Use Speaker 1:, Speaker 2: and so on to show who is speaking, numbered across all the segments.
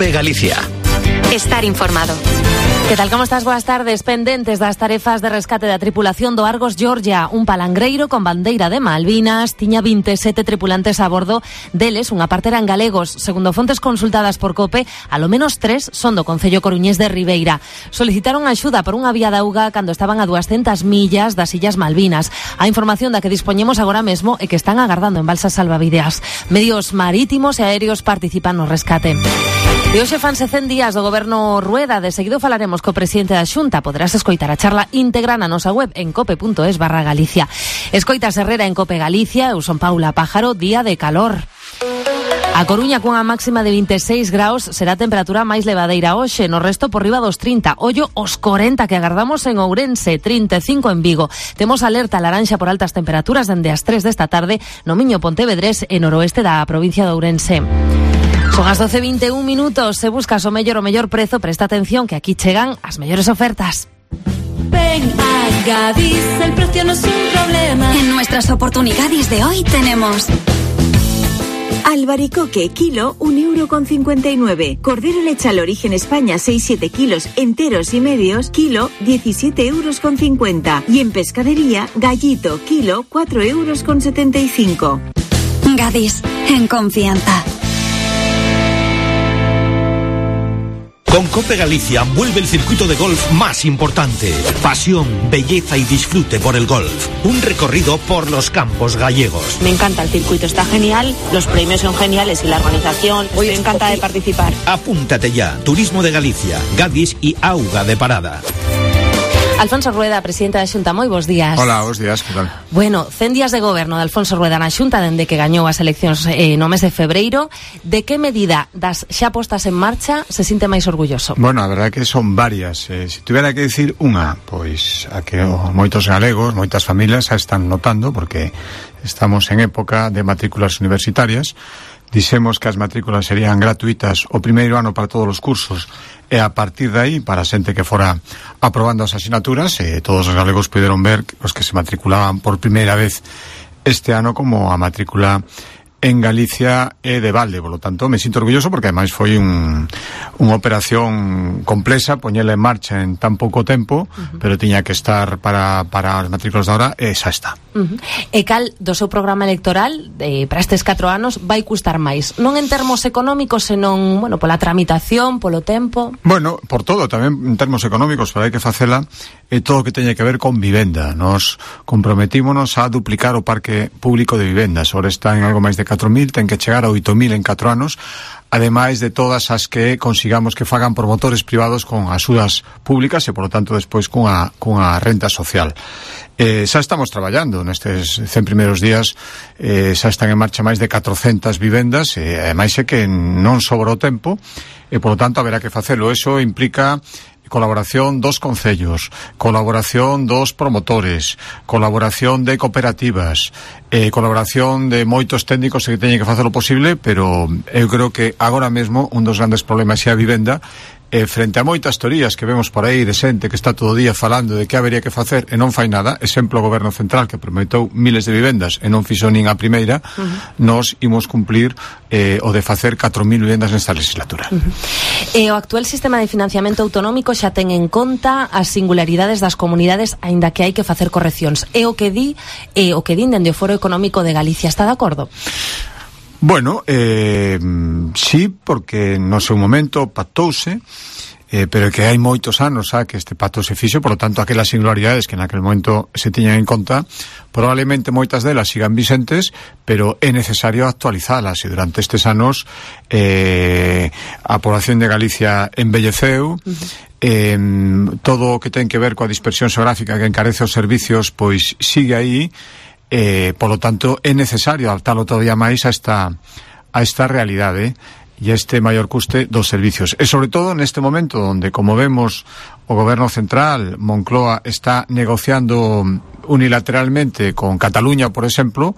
Speaker 1: COPE Galicia.
Speaker 2: Estar informado.
Speaker 3: Que tal, como estás? Boas tardes. Pendentes das tarefas de rescate da tripulación do Argos Georgia, un palangreiro con bandeira de Malvinas, tiña 27 tripulantes a bordo, deles unha parte eran galegos. Segundo fontes consultadas por COPE, alo menos 3 son do concello coruñés de Ribeira. Solicitaron axuda por unha vía de auga cando estaban a 200 millas das Illas Malvinas. A información da que dispoñemos agora mesmo é que están agardando en balsas salvavidas. Medios marítimos e aéreos participan no rescate. E hoxe fanse 100 días do goberno Rueda. De seguido falaremos co presidente da Xunta. Poderás escoitar a charla íntegra na nosa web en cope.es/Galicia. Escoitas Herrera en Cope Galicia. Eu son Paula Pájaro. Día de calor. A Coruña cunha máxima de 26 graus será a temperatura máis levadeira hoxe, no resto por riba dos 30. Ollo os 40 que agardamos en Ourense, 35 en Vigo. Temos alerta laranxa por altas temperaturas dende as 3 desta tarde no Miño, Pontevedrés e noroeste da provincia de Ourense. Son as 12:21 minutos. Se buscas o mellor prezo, presta atención que aquí chegan as mellores ofertas.
Speaker 4: Ven a Gadis, el precio no es un problema.
Speaker 2: En nuestras oportunidades de hoy tenemos
Speaker 5: albaricoque, kilo, 1,59 €. Cordero lechal Origen España, 6-7 kilos, enteros y medios, kilo, 17,50 €. Y en pescadería, gallito, kilo, 4,75 €.
Speaker 2: Gadis, en confianza.
Speaker 6: Con Cope Galicia vuelve el circuito de golf más importante. Pasión, belleza y disfrute por el golf. Un recorrido por los campos gallegos.
Speaker 7: Me encanta el circuito, está genial, los premios son geniales y la organización. Hoy estoy encantada de participar.
Speaker 6: Apúntate ya. Turismo de Galicia, Gadis y Auga de Parada.
Speaker 3: Alfonso Rueda, presidente da Xunta, moi bons días.
Speaker 8: Hola, bons días, que tal?
Speaker 3: Bueno, 100 días de goberno de Alfonso Rueda na Xunta dende que gañou as eleccións no mes de febreiro. De que medida das xa postas en marcha se sinte máis orgulloso?
Speaker 8: Bueno, a verdade é que son varias. Se tuvera que dicir unha, pois a que moitos galegos, moitas familias xa están notando, porque estamos en época de matrículas universitarias. Dixemos que as matrículas serían gratuitas o primeiro ano para todos os cursos e a partir de aí, para a xente que fora aprobando as asignaturas, todos os galegos puderon ver os que se matriculaban por primeira vez este ano como a matrícula en Galicia e de balde. Por lo tanto, me sinto orgulloso porque ademais foi unha operación complexa, poñela en marcha en tan pouco tempo, pero tiña que estar para as matrículas de ahora e xa está.
Speaker 3: E cal do seu programa electoral para estes 4 anos vai custar máis? Non en termos económicos, senón, bueno, pola tramitación, polo tempo?
Speaker 8: Bueno, por todo, tamén en termos económicos, pero hai que facela todo o que teña que ver con vivenda. Nos comprometímonos a duplicar o parque público de vivendas. Ahora está en algo máis de 4.000, ten que chegar a 8.000 en 4 anos, ademais de todas as que consigamos que fagan promotores privados con axudas públicas e, por lo tanto, despois cunha renta social. Xa estamos traballando nestes 100 primeiros días, xa están en marcha máis de 400 vivendas, e ademais é que non sobra o tempo, e, por lo tanto, haberá que facelo. Eso implica colaboración dos concellos, colaboración dos promotores, colaboración de cooperativas, colaboración de moitos técnicos que teñen que facer o posible, pero eu creo que agora mesmo un dos grandes problemas é a vivenda. Frente a moitas teorías que vemos por aí de xente que está todo o día falando de que habería que facer e non fai nada, exemplo o Goberno Central que prometeu miles de vivendas e non fixo nin a primeira, nos imos cumplir o de facer 4.000 vivendas nesta legislatura.
Speaker 3: O actual sistema de financiamento autonómico xa ten en conta as singularidades das comunidades, aínda que hai que facer correccións. É o que din dende o Foro Económico de Galicia. Está de acordo?
Speaker 8: Bueno, sí, porque no seu momento pactouse, pero que hai moitos anos que este pacto se fixo, por lo tanto, aquelas singularidades que naquele momento se tiñan en conta, probablemente moitas delas sigan vicentes, pero é necesario actualizalas, e durante estes anos a población de Galicia embelleceu, todo o que ten que ver coa dispersión xeográfica que encarece os servicios, pois sigue aí. Por lo tanto, é necesario adaptarlo todavía máis a esta realidade e a este maior custe dos servicios. E sobre todo neste momento onde, como vemos, o Goberno Central, Moncloa, está negociando unilateralmente con Cataluña, por exemplo,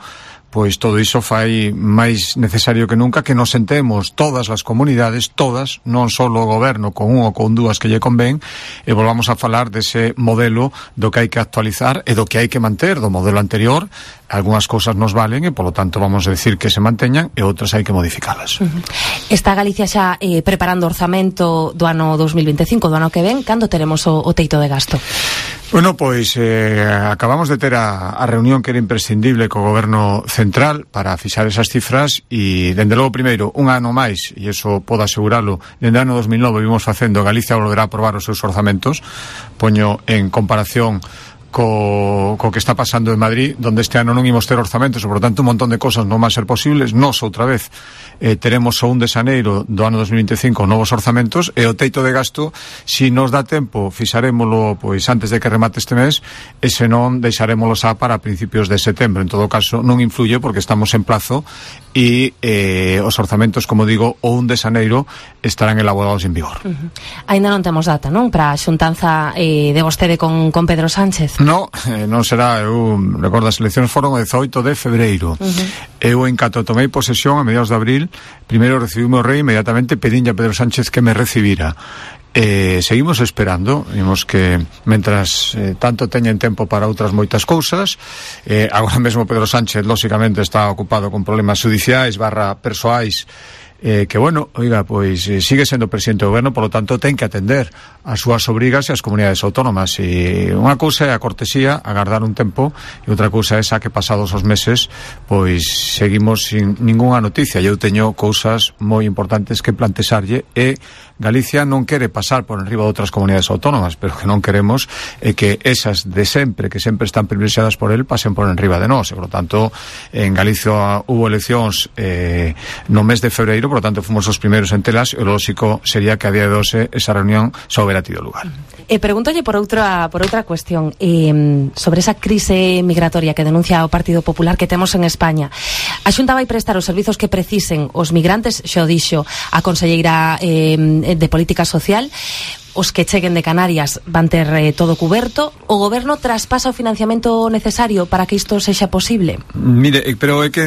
Speaker 8: pois todo iso fai máis necesario que nunca que nos sentemos todas as comunidades, todas, non só o goberno con un ou con dúas que lle convén, e volvamos a falar dese modelo do que hai que actualizar e do que hai que manter do modelo anterior. Algúnas cousas nos valen e, polo tanto, vamos a decir que se manteñan e outras hai que modificalas.
Speaker 3: Está Galicia xa preparando o orzamento do ano 2025, do ano que ven. Cando teremos o teito de gasto?
Speaker 8: Bueno, pois acabamos de ter a reunión que era imprescindible co goberno central para fixar esas cifras e, dende logo, primeiro, un ano máis, e iso podo aseguralo, dende o ano 2009 vimos facendo, Galicia volverá a aprobar os seus orzamentos. Poño en comparación co que está pasando en Madrid, donde este ano non imos ter orzamentos, e, por tanto, un montón de cosas non van a ser posibles. Nos, outra vez, teremos o 1 de xaneiro do ano 2025 novos orzamentos, e o teito de gasto, si nos dá tempo, fixarémolo pois antes de que remate este mes, e se non, deixarémolo xa para principios de setembro. En todo caso, non influye porque estamos en plazo e os orzamentos, como digo, o 1 de xaneiro estarán elaborados en vigor.
Speaker 3: Ainda non temos data, non? Para a xuntanza de vostede con Pedro Sánchez?
Speaker 8: No, non será. Eu recordo, as eleccións foron o 18 de febreiro. Eu, en canto tomei posesión a mediados de abril, primeiro recibí o rei, inmediatamente pedinlle a Pedro Sánchez que me recibira. Seguimos esperando, vimos que mentras tanto teñen tempo para outras moitas cousas. Agora mesmo Pedro Sánchez lóxicamente está ocupado con problemas judiciais / persoais, que, bueno, oiga, pois sigue sendo presidente do goberno, polo tanto ten que atender as súas obrigas e as comunidades autónomas, e unha cousa é a cortesía, agardar un tempo, e outra cousa é esa que pasados os meses pois seguimos sin ningunha noticia. Eu teño cousas moi importantes que plantexarlle, e Galicia non quere pasar por enriba de outras comunidades autónomas, pero que non queremos é que esas de sempre, que sempre están privilexiadas por él, pasen por enriba de nós. E, por lo tanto, en Galicia hubo eleccións no mes de febreiro, por lo tanto fomos os primeiros en telas, e o lógico sería que a día de hoxe esa reunión xa houbera tido lugar.
Speaker 3: Pregúntolle por outra cuestión, sobre esa crise migratoria que denuncia o Partido Popular que temos en España. A Xunta vai prestar os servizos que precisen os migrantes, xa o dixo a conselleira de Política Social. Os que cheguen de Canarias van ter todo cuberto. O goberno traspasa o financiamento necesario para que isto sexa posible?
Speaker 8: Mire, pero é que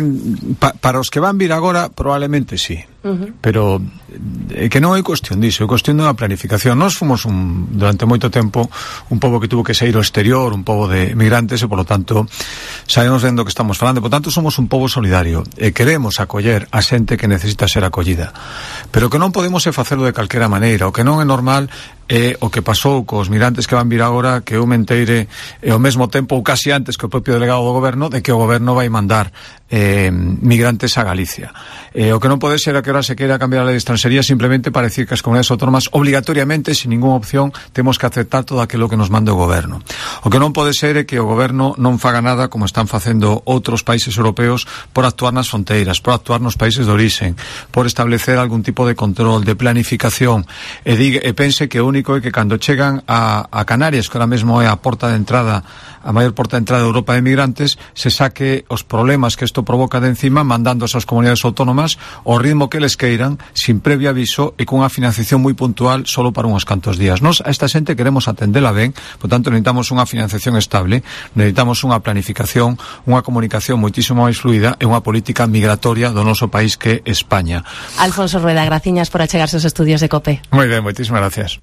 Speaker 8: para os que van vir agora probablemente sí. Pero é que non é cuestión diso, é cuestión dunha planificación. Nós fomos durante moito tempo un pobo que tuvo que sair ao exterior, un pobo de migrantes, e, polo tanto, sabemos vendo que estamos falando. Por tanto, somos un pobo solidario e queremos acoller a xente que necesita ser acollida, pero que non podemos facelo de calquera maneira. O que non é normal é o que pasou cos migrantes que van vir agora, que eu menteire ao mesmo tempo, ou casi antes, que o propio delegado do goberno, de que o goberno vai mandar migrantes a Galicia. O que non pode ser é que ahora se queira cambiar a lei de extranxería simplemente para decir que as comunidades autónomas obligatoriamente, sin ninguna opción, temos que aceptar todo aquilo que nos manda o goberno. O que non pode ser é que o goberno non faga nada, como están facendo outros países europeos, por actuar nas fronteiras, por actuar nos países de orixen, por establecer algún tipo de control, de planificación, e pense que o único é que cando chegan a Canarias, que ahora mesmo é a porta de entrada, a maior porta de entrada de Europa de migrantes, se saque os problemas que isto provoca de encima, mandando a esas comunidades autónomas ao ritmo que les queiran, sin previo aviso e cunha financiación moi puntual solo para uns cantos días. Nos a esta xente queremos atendela ben, por tanto necesitamos unha financiación estable, necesitamos unha planificación, unha comunicación moitísimo máis fluida e unha política migratoria do noso país, que é España.
Speaker 3: Alfonso Rueda, graciñas por achegarse aos estudios de COPE.
Speaker 8: Moi ben, moitísimas gracias.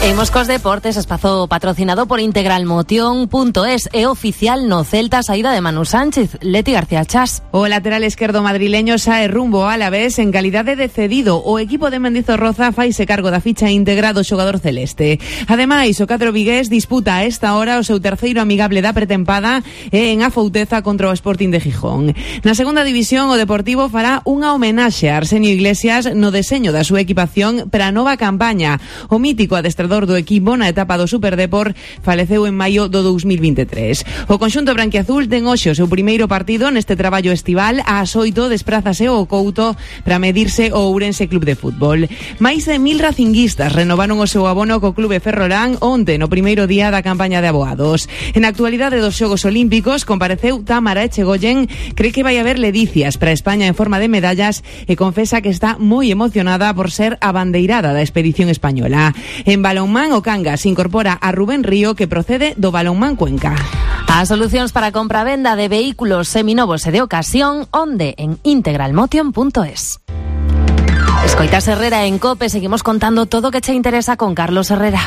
Speaker 3: Imos cos deportes, espazo patrocinado por integralmotion.es, e oficial no Celta saída de Manu Sánchez. Leti García Chas.
Speaker 1: O lateral esquerdo madrileño sae rumbo a Alavés en calidade de cedido. O equipo de Mendizorroza faise cargo da ficha íntegra do xogador celeste. Ademais, o cadro vigués disputa a esta hora o seu terceiro amigable da pretempada en Afouteza contra o Sporting de Gijón. Na segunda división, o Deportivo fará unha homenaxe a Arsenio Iglesias no deseño da súa equipación para a nova campaña. O mítico adestrador do equipo na etapa do Superdeport faleceu en maio do 2023. O conxunto branquiazul ten hoxe o seu primeiro partido neste traballo estival. Ás 8 desprázase ao Couto para medirse o Ourense Club de Fútbol. Máis de 1000 racinguistas renovaron o seu abono co Clube Ferrolán onte no primeiro día da campaña de aboados. En actualidade dos Xogos Olímpicos compareceu Támara Echegoyen, cree que vai haber ledicias para España en forma de medallas e confesa que está moi emocionada por ser a bandeirada da expedición española. En balonmán, o Cangas incorpora a Rubén Río, que procede do Balonmán Cuenca.
Speaker 3: As solucións para compra-venda de vehículos seminovos e de ocasión, onde en integralmotion.es. Escoitas Herrera en COPE, seguimos contando todo o que che interesa con Carlos Herrera.